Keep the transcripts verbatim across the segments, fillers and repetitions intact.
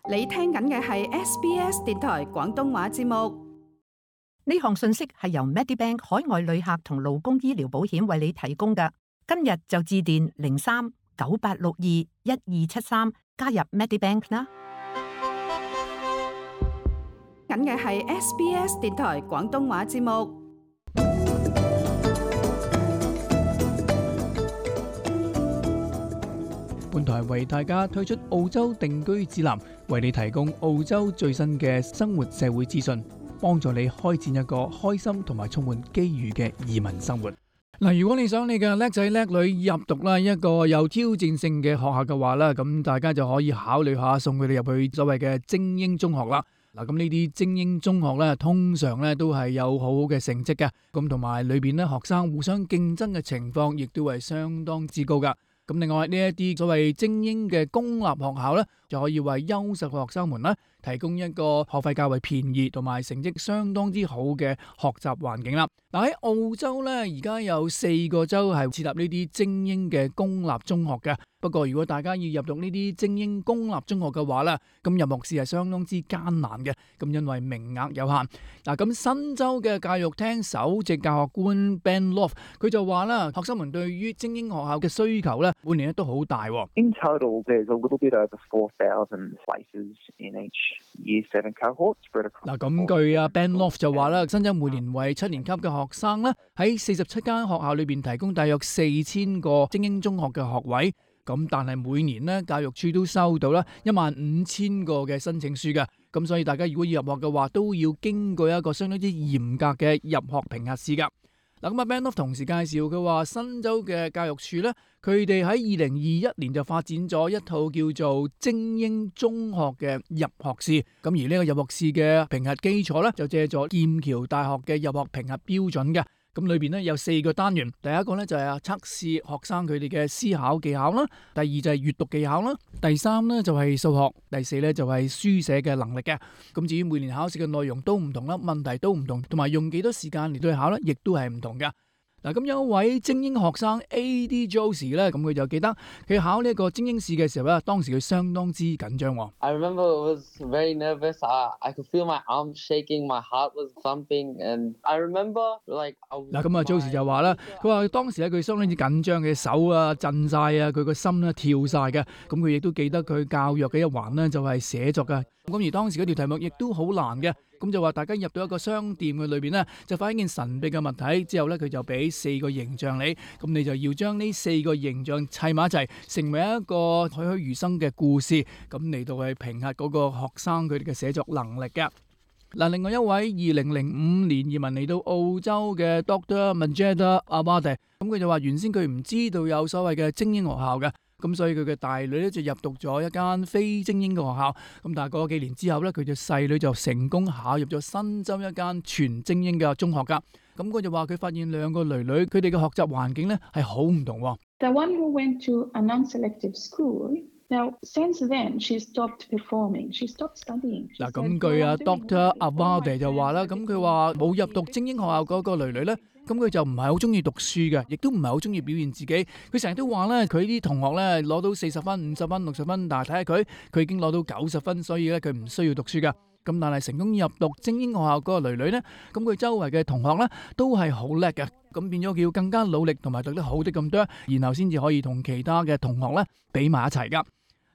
你聽緊嘅係 S B S 電台廣東話節目。呢項信息係由 Medibank 海外旅客同勞工醫療保險為你提供嘅。今日就致電零三九八六二一二七三加入 Medibank 啦。緊嘅係 S B S 電台廣東話節目。本台為大家推出澳洲定居指南，為你提供澳洲最新嘅生活社會資訊，幫助你開展一個開心同埋充滿機遇嘅移民生活。嗱，如果你想你嘅叻仔叻女入讀啦一個有挑戰性嘅學校嘅話啦，咁大家就可以考慮下送佢哋入去所謂嘅精英中學啦。嗱，咁呢啲精英中學咧，通常咧都係有好好嘅成績嘅，咁同埋裏邊咧學生互相競爭嘅情況，亦都係相當之高噶。咁另外呢一啲所謂精英嘅公立學校咧，就可以為優秀嘅學生們咧提供一個學費較為便宜同埋成績相當之好嘅學習環境啦。嗱，喺澳洲咧，而家有四個州係設立呢啲精英嘅公立中學嘅。不過如果大家要入讀呢啲精英公立中學嘅話咧，咁入學試係相當之艱難嘅。咁因為名額有限。嗱，咁新州嘅教育廳首席教學官 Ben Loft 佢就話啦，學生們對於精英學校嘅需求咧，每年咧都好大。In total, there's a little bit over four thousand places in each Year Seven cohort spread across. 嗱，咁據啊 Ben Loft 就話啦，新州每年為七年級嘅學生咧，喺四十七間學校裏邊提供大約四千個精英中學嘅學位。咁但係每年咧，教育處都收到啦一萬五千個嘅申請書嘅。咁所以大家如果要入學嘅話，都要經過一個相當之嚴格嘅入學評核試噶。嗱，咁啊 Ben Loft 同時介紹佢話，新州嘅教育處咧，佢哋喺二零二一年就發展咗一套叫做精英中學嘅入學試。咁而呢個入學試嘅評核基礎咧，就借助劍橋大學嘅入學評核標準嘅。咁裏邊咧有四個單元，第一個咧就係測試學生佢哋嘅思考技巧啦，第二就係閱讀技巧啦，第三咧就係數學，第四咧就係書寫嘅能力嘅。咁至於每年考試嘅內容都唔同啦，問題都唔同，同埋用幾多時間嚟對考咧，亦都係唔同嘅。嗱，咁有一位精英學生 A D Josie 咧，咁佢就記得佢考呢一個精英試嘅時候咧，當時佢相當之緊張。I remember it was very nervous. I I could feel my arms shaking, my heart was thumping, and I remember like 嗱，咁啊 Josie 就話啦，佢話當時咧佢相當之緊張嘅手啊震晒啊，佢個心咧跳晒嘅。咁佢亦都記得佢教育嘅一環咧就係寫作嘅。咁而當時嗰條題目亦都好難嘅。咁就話大家入到一個商店嘅裏邊咧，就發現一件神秘嘅物體之後咧，佢就俾四個形象你，咁你就要將呢四個形象砌埋一齊，成為一個栩栩如生嘅故事，咁嚟到去評核嗰個學生佢哋嘅寫作能力嘅。嗱，另外一位二零零五年移民嚟到澳洲嘅 Doctor Majeda Abade， 咁佢就話原先佢唔知道有所謂嘅精英學校嘅。咁所以佢嘅大女咧就入讀咗一間非精英嘅學校，咁但係過咗幾年之後咧，佢嘅細女就成功考入咗新州一間全精英嘅中學噶。咁佢就話佢發現兩個女女佢哋嘅學習環境咧係好唔同。The one who went to a non-selective school. Now, since then, she stopped performing. She stopped studying. 嗱，咁據啊 Doctor Abade 就話啦，咁佢話冇入讀精英學校嗰個女女咧，咁佢就唔係好中意讀書嘅，亦都唔係好中意表現自己。佢成日都話咧，佢啲同學咧攞到四十分、五十分、六十分，但係睇下佢，佢已經攞到九十分，所以咧佢唔需要讀書噶。咁但係成功入讀精英學校嗰個女女咧，咁佢周圍嘅同學咧都係好叻嘅，咁變咗佢要更加努力同埋讀得好啲咁多，然後先至可以同其他嘅同學咧比埋一齊噶。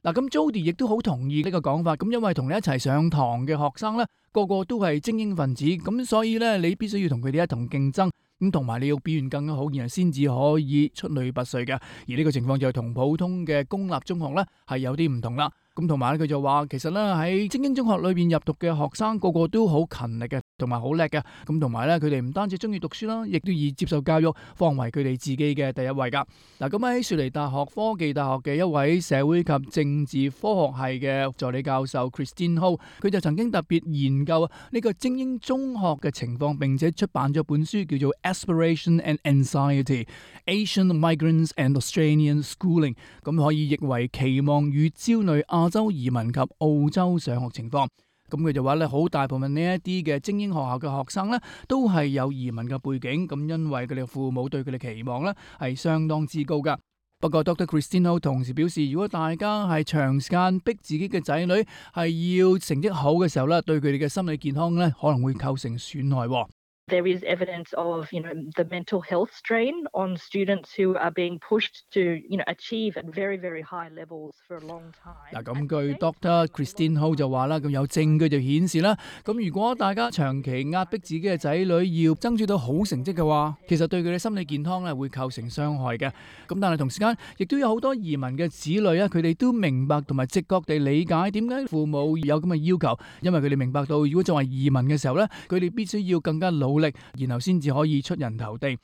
嗱，咁 Jody 亦都好同意呢個講法，咁因為同你一齊上堂嘅學生咧，個個都係精英分子，咁所以咧你必須要同佢哋一同競爭，咁同埋你要表現更加好，然後先至可以出類拔萃嘅。而呢個情況就同普通嘅公立中學咧係有啲唔同啦。咁同埋咧佢就話，其實咧喺精英中學裏邊入讀嘅學生個個都好勤力嘅，同埋好叻嘅。咁同埋咧佢哋唔單止中意讀書啦，亦都以接受教育放為佢哋自己嘅第一位噶。嗱，咁喺雪梨大學科技大學嘅一位社會及政治科學系嘅助理教授 Christine Ho， 佢就曾經特別研究呢個精英中學嘅情況，並且出版咗本書叫做 Aspiration and Anxiety: Asian Migrants and Australian Schooling， 咁可以譯為期望與焦慮亞洲移民及澳洲上學情況。咁佢就話咧，好大部分呢一啲嘅精英學校嘅學生咧，都係有移民嘅背景，咁因為佢哋父母對佢哋期望咧係相當之高噶。不過 Doctor Christine Ho 同時表示，如果大家係長時間逼自己嘅仔女係要成績好嘅時候咧，對佢哋嘅心理健康咧可能會構成損害。There is evidence of, you know, the mental health strain on students who are being pushed to, you know, achieve at very, very high levels for a long time. 嗱，咁據 Doctor Christine Ho 就話啦，咁有證據就顯示啦，咁如果大家長期壓迫自己嘅仔女要爭取到好成績嘅話，其實對佢哋心理健康咧會構成傷害嘅。咁但係同時間，亦都有好多移民嘅子女啊，佢哋都明白同埋直覺地理解點解父母有咁嘅要求，因為佢哋明白到，如果作為移民嘅時候咧，佢哋必須要更加努力，然後先至可以出人頭地。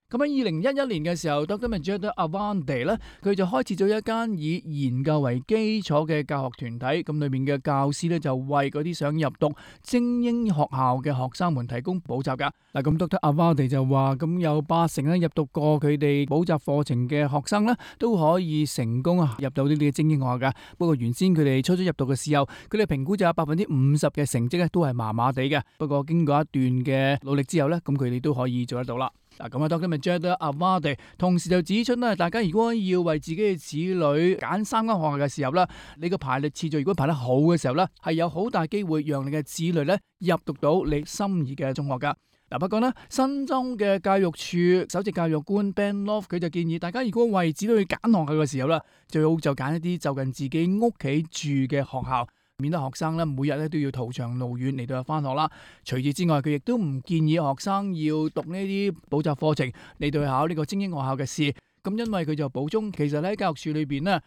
咁喺二零一一年嘅時候 ，Doctor Majida Awande 咧，佢就開設咗一間以研究為基礎嘅教學團體。咁裏面嘅教師咧就為嗰啲想入讀精英學校嘅學生們提供補習噶。嗱，咁 Doctor Awande 就話，咁有八成咧入讀過佢哋補習課程嘅學生咧，都可以成功啊入到呢啲嘅精英學校噶。不過原先佢哋初初入讀嘅時候，佢哋評估就有百分之五十嘅成績咧都係麻麻地嘅。不過經過一段嘅努力之後咧，咁佢哋都可以做得到啦。嗱，咁啊 Doctor Majida Awande 同時就指出咧，大家如果要為自己嘅子女揀三間學校嘅時候咧，你個排列次序如果排得好嘅時候咧，係有好大機會讓你嘅子女咧入讀到你心儀嘅中學噶。嗱，不過呢，新州嘅教育處首席教育官 Ben Love 佢就建議大家如果為子女去揀學校嘅時候咧，最好就揀一啲就近自己屋企住嘅學校，免得學生咧每日咧都要途長路遠嚟到返學啦。除此之外，佢亦都唔建議學生要讀呢啲補習課程嚟到去考呢個精英學校嘅試。咁因為佢就補充，其實喺教育處裏邊咧，呢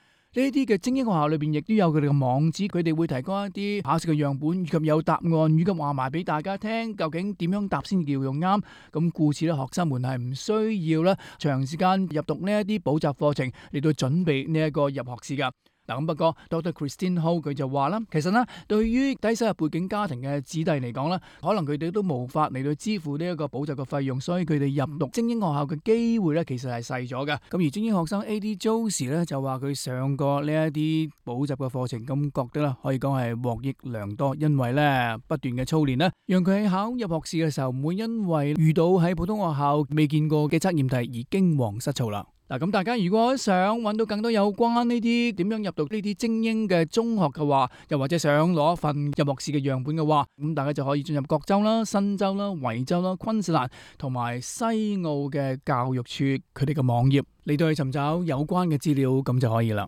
啲嘅精英學校裏邊亦都有佢哋嘅網址，佢哋會提供一啲考試嘅樣本，以及有答案，以及話埋俾大家聽，究竟點樣答先叫用啱。咁故此咧，學生們係唔需要咧長時間入讀呢一啲補習課程嚟到準備呢一個入學試噶。嗱，咁不過 Doctor Christine Ho 佢就話啦，其實呢，對於低收入背景家庭嘅子弟嚟講咧，可能佢哋都無法嚟到支付呢一個補習嘅費用，所以佢哋入讀精英學校嘅機會咧，其實係細咗嘅。咁而精英學生 A D Josie 咧就話佢上過呢一啲補習嘅課程，咁覺得咧可以講係獲益良多，因為咧不斷嘅操練咧，讓佢喺考入學試嘅時候唔會因為遇到喺普通學校未見過嘅測驗題而驚惶失措啦。嗱，咁大家如果想揾到更多有關呢啲點樣入讀呢啲精英嘅中學嘅話，又或者想攞一份入學試嘅樣本嘅話，咁大家就可以進入各州啦、新州啦、維州啦、昆士蘭同埋西澳嘅教育處佢哋嘅網頁嚟到去尋找有關嘅資料，咁就可以啦。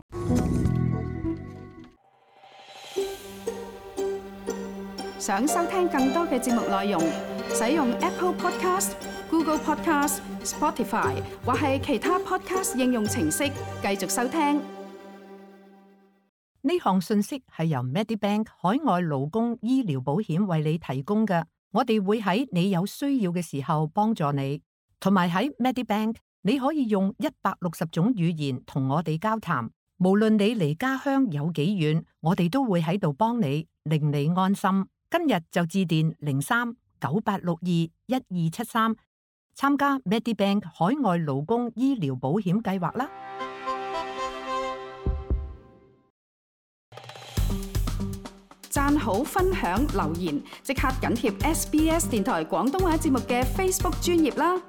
想收聽更多嘅節目內容，使用 Apple Podcast、Google Podcast、Spotify 或係其他 Podcast 應用程式繼續收聽。呢項信息係由 Medibank 海外勞工醫療保險為你提供嘅，我哋會喺你有需要嘅時候幫助你，同埋喺 Medibank 你可以用一百六十種語言同我哋交談，無論你離家鄉有幾遠，我哋都會喺度幫你，令你安心。今日就致電零三九八六二一二七三參加 Medibank 海外勞工醫療保險計劃啦！讚好、分享、留言，即刻緊貼 S B S 電台廣東話節目嘅 Facebook 專頁啦！